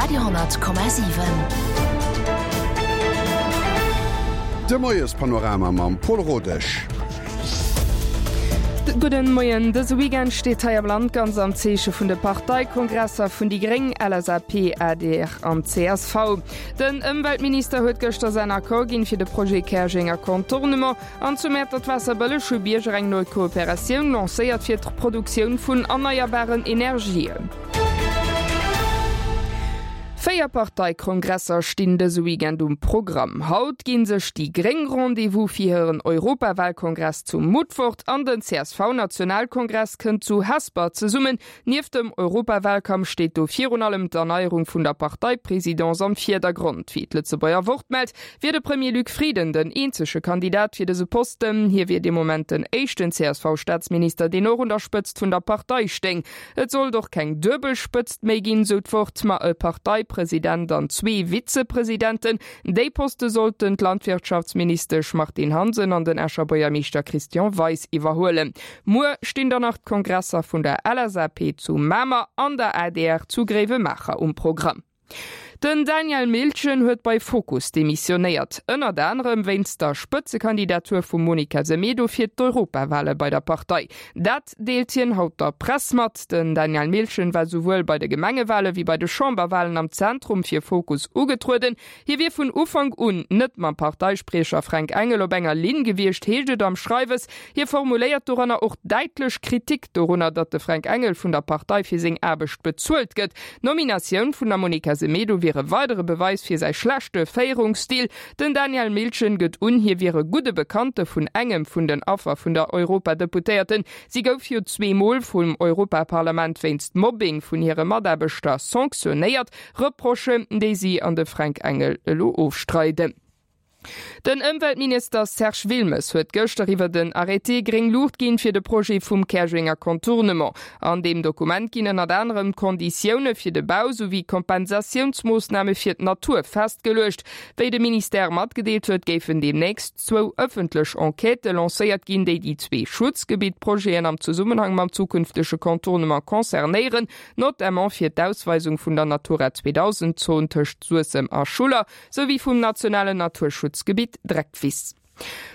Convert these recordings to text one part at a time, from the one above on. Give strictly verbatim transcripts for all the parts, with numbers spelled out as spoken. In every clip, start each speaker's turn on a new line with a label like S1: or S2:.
S1: Radio hundert Komma siwen.
S2: De Moiespanorama mam Paul Rodesch.
S3: Gudden Moien. Dëse Weekend steet hei am Land ganz am Zeeche vun de Parteikongresser vun déi Gréng, L S A P, A D R an C S V. Den Ëmweltminister huet gëschter säin Accord ginn fir de Projet Käerjenger Contournement an zu Mäertert-Waasserbëlleg hu Bierger eng nei Kooperatioun lancéiert fir d'Produktioun vun erneierbaren Energien. Véier Parteikongresser stinn dëse Weekend um Programm. Haut ginn sech déi Gréng Rendez-vous fir hiren Europawalkongress zu Mutfert an den C S V-Nationalkongress kënnt zu Hesper zesummen. Nieft dem Europawalkampf steet do virun allem d'Erneierung vun der Parteipresidence am Virdergrond. Wéi d'Lëtzebuerger Wort mellt, wier de Premier Luc Frieden den eenzege Kandidat fir dëse Posten. Hie wier de Moment den éischten C S V-Staatsminister, deen och un der Spëtzt vun der Partei stéing. Et sollt och keng Duebelspëtzt méi ginn, sou d'Wort, ma e Parteipresident an zwee Vizepresidenten. Déi Poste sollten d'Landwirtschaftsministesch Martine Hansen an den Escher Buergermeeschter Christian Weis iwwerhuelen. Muer stinn dann nach d'Kongresser vun der L S A P zu Mamer an der A D R zu Gréiwemaacher um Programm. Den Daniel Miltgen huet bei Fokus demissionéiert. Ënnert anerem wéinst der Spëtzekandidatur vum Monica Semedo fir d'Europawahle bei der Partei. Dat deelt hien haut der Press mat. Den Daniel Miltgen war souwuel bei de Gemengewahle wéi bei de Chamberwahlen am Zentrum fir Fokus ugetrueden. Hie wier vun Ufank un net mam Parteispriecher Fränk Engel op enger Linn gewiescht, heescht et am Schreiwes. Hie formuléiert doranner och däitlech Kritik dorunner, datt de Fränk Engel vun der Partei fir seng Aarbecht bezuelt gëtt. D'Nominatioun vun der Monica Semedo wier e weidere Beweis fir säi schlechte Féierungsstil. Den Daniel Miltgen gëtt un, hie wier e gudde Bekannte vun engem vun den Affer vun der Europadeputéierten. Si gouf jo zweemol vum Europaparlament wéinst Mobbing vun hire Mataarbechter sanktionéiert, Reprochen, déi si an de Fränk Engel elo ofstreiden. Den Ëmweltminister Serge Wilmes huet gëschter iwwer den Arrêté gréng Luucht ginn fir de Projet vum Käerjenger Contournement. An deem Dokument ginn ënnert anerem Konditioune fir de Bau souwéi Kompensatiounsmoossname fir d'Natur festgeluecht. Wéi de Ministère matgedeelt huet, géifen deemnächst zwou ëffentlech Enquêtë lancéiert ginn, déi déi zwee Schutzgebittprojeten am Zesummenhang mam zukünftege Contournement concernéieren, notamment fir d'Ausweisung vun der Natura zweedausend Zon tëscht Suessem a Schuller souwéi vum nationalen Naturschutzgebitt Dreckwiss.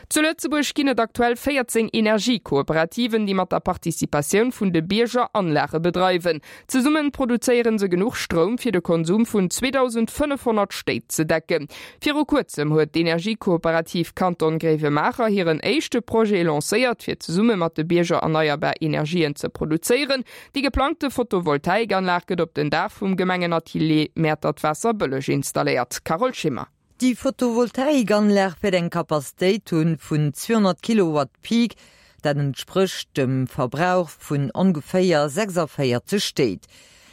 S3: Zu Lëtzebuerg ginn et aktuell véierzéng Energiekooperativen, déi mat der Participatioun vun de Bierger Anlage bedreiwen. Zesumme produzéiere se genuch Stroum fir de Konsum vun zweedausendfënnefhonnert Stéit ze decken. Viru kuerzem huet d'Energiekooperativ Kanton Gréiwemaacher hiren éischte Projet lancéiert, fir zesumme mat de Bierger erneierbar Energien ze produzéieren. Déi geplangte Photovoltaikanlag gëtt op den Daach vum Gemengenatelier Mäertert-Waasserbëlleg installéiert. Carole Schimmer.
S4: Déi Photovoltaikanlag wäert eng Kapazitéit hunn vun zweehonnert Kilowatt Peak, dat entsprécht dem Verbrauch vun ongeféier sechsundvéierzeg Stéit.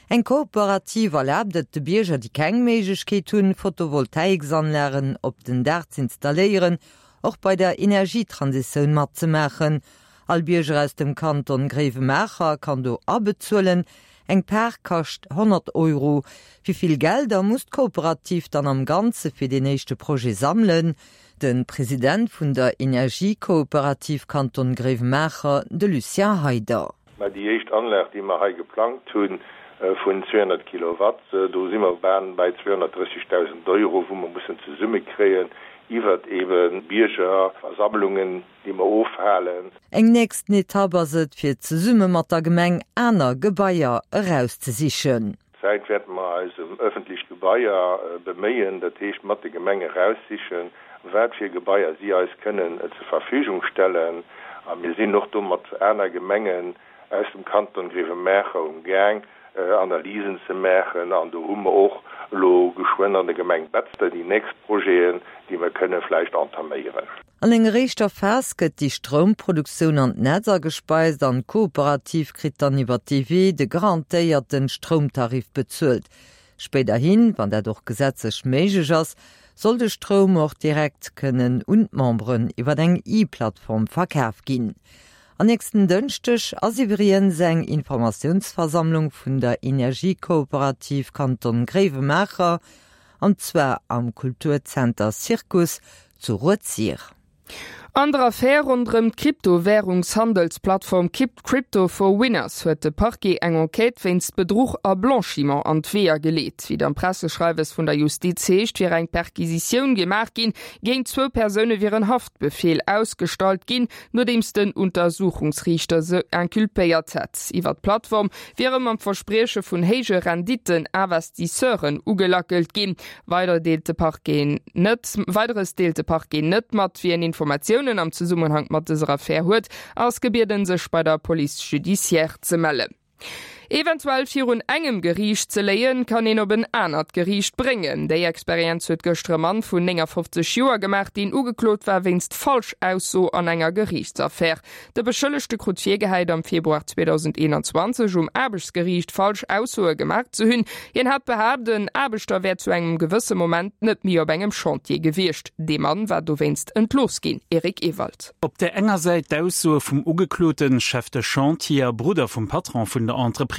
S4: Eng Kooperativ erlaabt et de Bierger, déi keng Méiglechkeet hunn, Photovoltaiksanlagen op den Daach ze installéieren, och bei der Energietransitioun matzemaachen. All Bierger aus dem Kanton Gréiwemaacher kann do abezuelen. Eng Part kascht honnert Euro. Wéi vill Gelder muss d'Kooperativ dann am Ganze fir den éischte Projet sammelen? De President vun der Energiekooperativ Kanton Gréiwemaacher, de Lucien Heider.
S5: Mä déi éischt Anlag, déi mer hei geplangt hunn, vun zweehonnert Kilowatt, do si mer bei zweehonnertdrëssigdausend Euro, wou mer mussen zesummekréien iwwer eben Biergerversammlungen, déi mer ofhalen.
S4: Eng nächsten Etapp ass et, fir zesumme mat der Gemeng aner Gebaier erauszesichen.
S5: Zäit wäerte mer eis ëm ëffentlech Gebaier beméien, dat heescht mat de Gemenge raussichen, wat fir Gebaier si eis kënnen zur Verfügung stellen. A mir sinn och do mat aner Gemengen aus dem Kanton Gréiwemaacher um Gaang, Analysen ze maachen, an do hu mer och elo geschwënn an der Gemeng Betzder déi nächst Projeten, déi mer kënne vläicht entaméieren.
S4: An enger éischter Phas gëtt déi Stroumproduktioun an d'Netz agespeist an d'Kooperativ kritt dann iwwer d'T V A de garantéierte Stroumtarif bezuelt. Spéiderhin, wann dat och gesetzlech méiglech ass, soll de Stroum och direkt kënnen un d'Memberen iwwer eng E-Plattform verkaf ginn. An nächsten Dënschdeg ass iwwregens eng Informatiounsversammlung vun der Energiekooperativ Kanton Gréiwemaacher, an zwar am Kulturzenter Circus zu Rued-Sir.
S3: An der Affär ronderëm d'Kryptowärungshandelsplattform Crypto for Winners huet de Parquet eng Enquête wéinst Bedruch a Blanchiment an d'Weeër geleet. Wéi et am Presseschreiwes vun der Justiz heescht, wier eng Perquisitioun gemaach ginn, géint zwou Persoune wier en Haftbefeel ausgestallt ginn, nodeems den Untersuchungsriichter se inculpéiert hätt. Iwwer d'Plattform wiere mam Versprieche vun héije Renditten Investisseuren ugelackelt ginn. Weider deelt de Parquet net Weideres deelt de Parquet net mat. Wien Informatiounen am Zesummenhank mat dëser Affär huet, ass gebieden, sech bei der Police judiciaire ze mellen. Eventuell virun engem Geriicht ze léien, kann een op en anert Geriicht bréngen. Déi Experienz huet gëschter e Mann vun néngafofzeg Joer gemaach, deen ugeklot war wéinst Falschausso an enger Geriichtsaffär. De Beschëllegte krut virgehäit, am Februar zweedausendeenanzwanzeg um Aarbechtsgeriicht falsch Aussoe gemaach ze hunn. Hien hat behaapt, en Aarbechter wär zu engem gewësse Moment net méi op engem Chantier gewiescht. Dee Mann war dowéinst entlooss ginn. Eric Ewald.
S1: Op där enger Säit d'Aussoe vum Ugekloten, Chef de Chantier a Brudder vum Patron vun der Entreprise,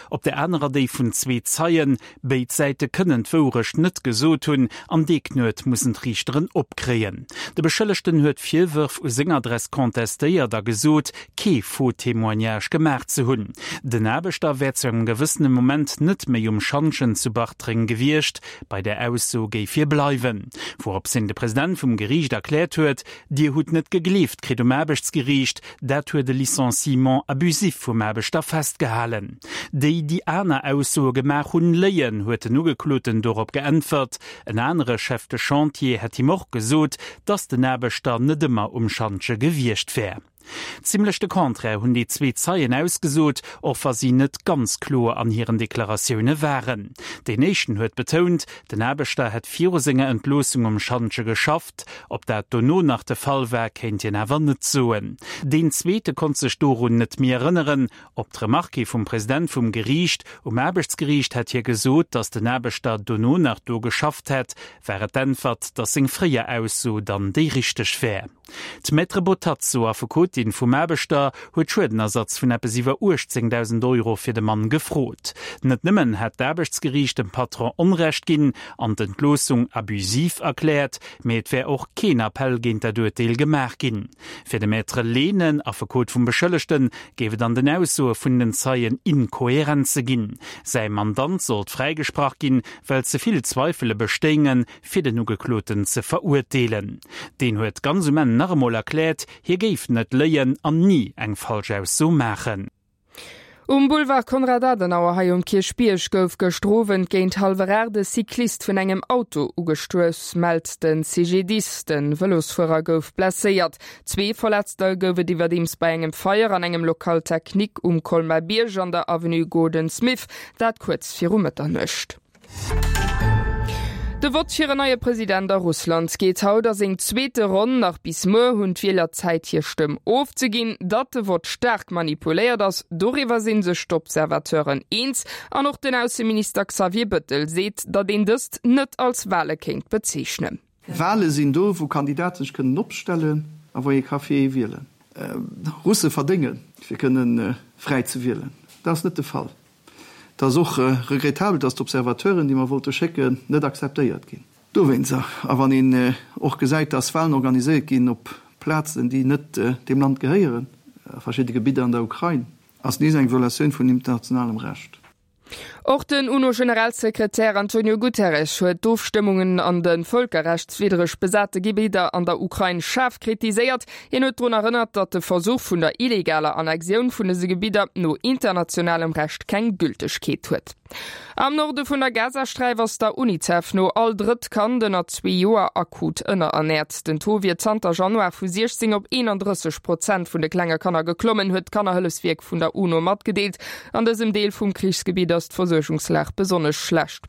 S1: op der anerer déi vun zwee Zeien. Béid Säite kënnen d'Wourecht net gesot hunn an dee Knuet mussen d'Riichteren opkréien. De Beschëllegten huet d'Virwërf u seng Adress contestéiert a gesot, kee faux Témoignage gemaach ze hunn. Den Aarbechter wär zu engem gewëssene Moment net méi um Schantjen zu Bartreng gewiescht, bei där Ausso géif hie bleiwen. Wourops hin de President vum Geriicht erkläert huet, Dir hutt net gegleeft kritt um Aarbechtsgeriicht, dat huet e Licenciement abusif vum Aarbechter festgehalen. Déi, déi aner Aussoe gemaach hunn, léien, huet den Ugekloten dorop geäntwert. En anere Chef de Chantier hätt him och gesot, dass den Aarbechter net ëmmer um Schantje gewiescht wär. Zimmlech de Contraire hunn déi zwee Zeien ausgesot, och wa si net ganz kloer an hiren Deklaratioune waren. Deen éischten huet betount, den Aarbechter hätt viru senger Entloossung um Schantje geschafft. Ob dat dono nach de Fall war, kéint hien awer net soen. Deen zweete konnt sech dorun net méi erënneren. Op d'Remarque vum President vum Geriicht, um Aarbechtsgeriicht hätt hie gesot, datt den Aarbechter dono nach do geschafft hätt, war et d'Äntwert, datt seng fréier Ausso dann déi richteg wär. D'Maître Botazzo, Affekotin vum Aarbechter, huet Schuedenersatz vun eppes iwwer uechtzéngdausend Euro fir de Mann gefrot. Net nëmmen hätt d'Aarbechtsgeriicht dem Patron Onrecht ginn an d'Entloossung abusiv erkläert, mee et wär och keen Appell géint dat Urteel gemaach ginn. Fir de Maître Lehnen, Affekot vum Beschëllegten, géif et an den Aussoe vun den Zeien Inkohärenze ginn. Säi Mandant sollt fräigesprach ginn, well ze vill Zweifele bestéingen, fir den Ugekloten ze verurteelen. Deen huet ganz um Enn nach emol erkläert, hie géif net léien an ni eng Falschausso maachen.
S3: Um Boulevard Konrad Adenauer hei um Kierchbierg gouf gëschter Owend géint hallwer aacht e Cyclist vun engem Auto ugestuuss, mellt de C G D I S. De Vëlosfuerer gouf blesséiert. Zwee Verletzter gouf et iwwerdeems bei engem Feier an engem Local technique um Colmar-Bierg an der Avenue Gordon Smith, dat kuerz viru Mëtternuecht. De Vott fir en neie President a Russland geet haut a seng zweete Ronn. Nach bis muer hunn d'Wieler Zäit hir Stëmm ofzeginn. Datt de Vott staark manipuléiert ass, doriwwer si sech d'Observateuren eens. An och den Ausseminister Xavier Bettel seet, datt een dëst net als Wale kéint bezeechnen.
S6: Wale sinn do, wou Kandidaten sech kënnen opstellen a wou ee ka fir ee wielen. Russe verdéngen, fir kënne fräi ze wielen. Dat ass net de Fall. Et ass och regrettabel, dass d'Observateuren, déi mer wollte schécken, net akzeptéiert ginn. Dowéinst, a wann een och gesäit, dass Walen organiséiert ginn op Plazen, déi net deem Land gehéieren, a verschidde Gebidder an der Ukrain, ass nees eng Violatioun vun internationalem Recht.
S3: Och den UNO-Generalsekretär Antonio Guterres huet d'Ofstëmmungen an de vëlkerrechtswiddreg besate Gebidder an der Ukrain schaarf kritiséiert. Hien huet drun erënnert, datt de Versuch vun der illegaler Annexioun vun dëse Gebidder no internationalem Recht keng Gültegkeet huet. Am Norde vun der Gazasträif ass der UNICEF no all drëtt Kand ënner zwee Joer akut ënnerernäert. Den Taux wier zanter Januar vu siechzéng op eenandrësseg Prozent vun de klenge Kanner geklommen, huet d'Kannerhëllefswierk vun der UNO matgedeelt. An dësem Deel vum Krichsgebitt ass d'Versuergungslag besonnesch schlecht.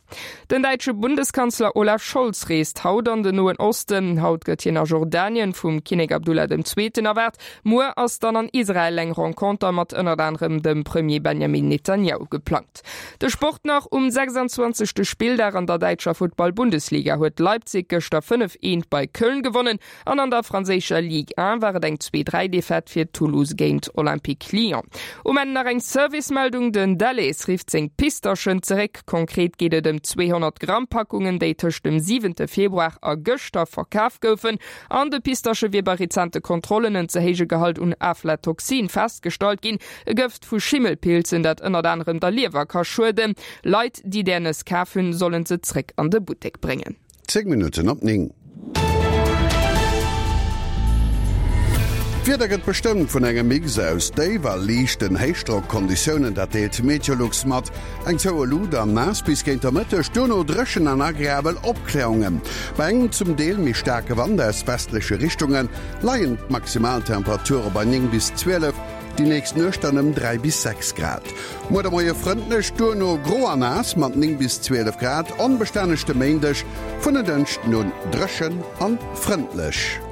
S3: Den däitsche Bundeskanzler Olaf Scholz reest haut an den Noen Osten. Haut gëtt hien a Jordanien vum Kinnek Abdullah dem Zweeten erwaart. Muer ass dann an Israel eng Renconter mat ënnert anerem dem Premier Benjamin Netanjahu geplangt. De Sport. Sport nach, Um sechsanzwanzegste Spilldag an der däitscher Futtball-Bundesliga huet Leipzig gëschter fënnef, eent bei Köln gewonnen an an der franséischer Ligue un war et eng zwee, dräi Defaite fir Toulouse géint Olympique Lyon. Um Enn nach eng Servicemeldung, Den Delhaize rifft seng Pistaschen zeréck. Konkret geet et ëm zweehonnert Gramm Packungen, déi tëscht dem siwente Februar a gëschter verkaf goufen. An de Pistasche wier bei rezente Kontrollen en ze héije Gehalt un Aflatoxin festgestallt ginn, e Gëft vu Schimmelpilzen, dat ënnert anerem der Liewer ka schueden. Leit, déi där Nëss kaf hunn, sollen se zréck an de Buttek bréngen.
S2: Zéng Minutten op néng. D'Wieder gëtt bestëmmt vun engem Mix aus Déif a liichten Héichdrock-Konditiounen, dat deelt Meteolux mat. Eng zoue Luut an naass bis géint der Mëtteg, duerno dréchen an agreabel Opkläerungen. Bei engem zum Deel méi staarke Wand aus westleche Richtunge leien d'Maximaltemperature bei néng bis zwielef, déi nächst Nuecht dann ëm dräi bis sechs Grad. Muer de Moie frëndlech, duerno gro a naass mat néng bis zwielef Grad. Onbestänneg de Méindeg, vun en Dënschden un dréchen an frëndlech.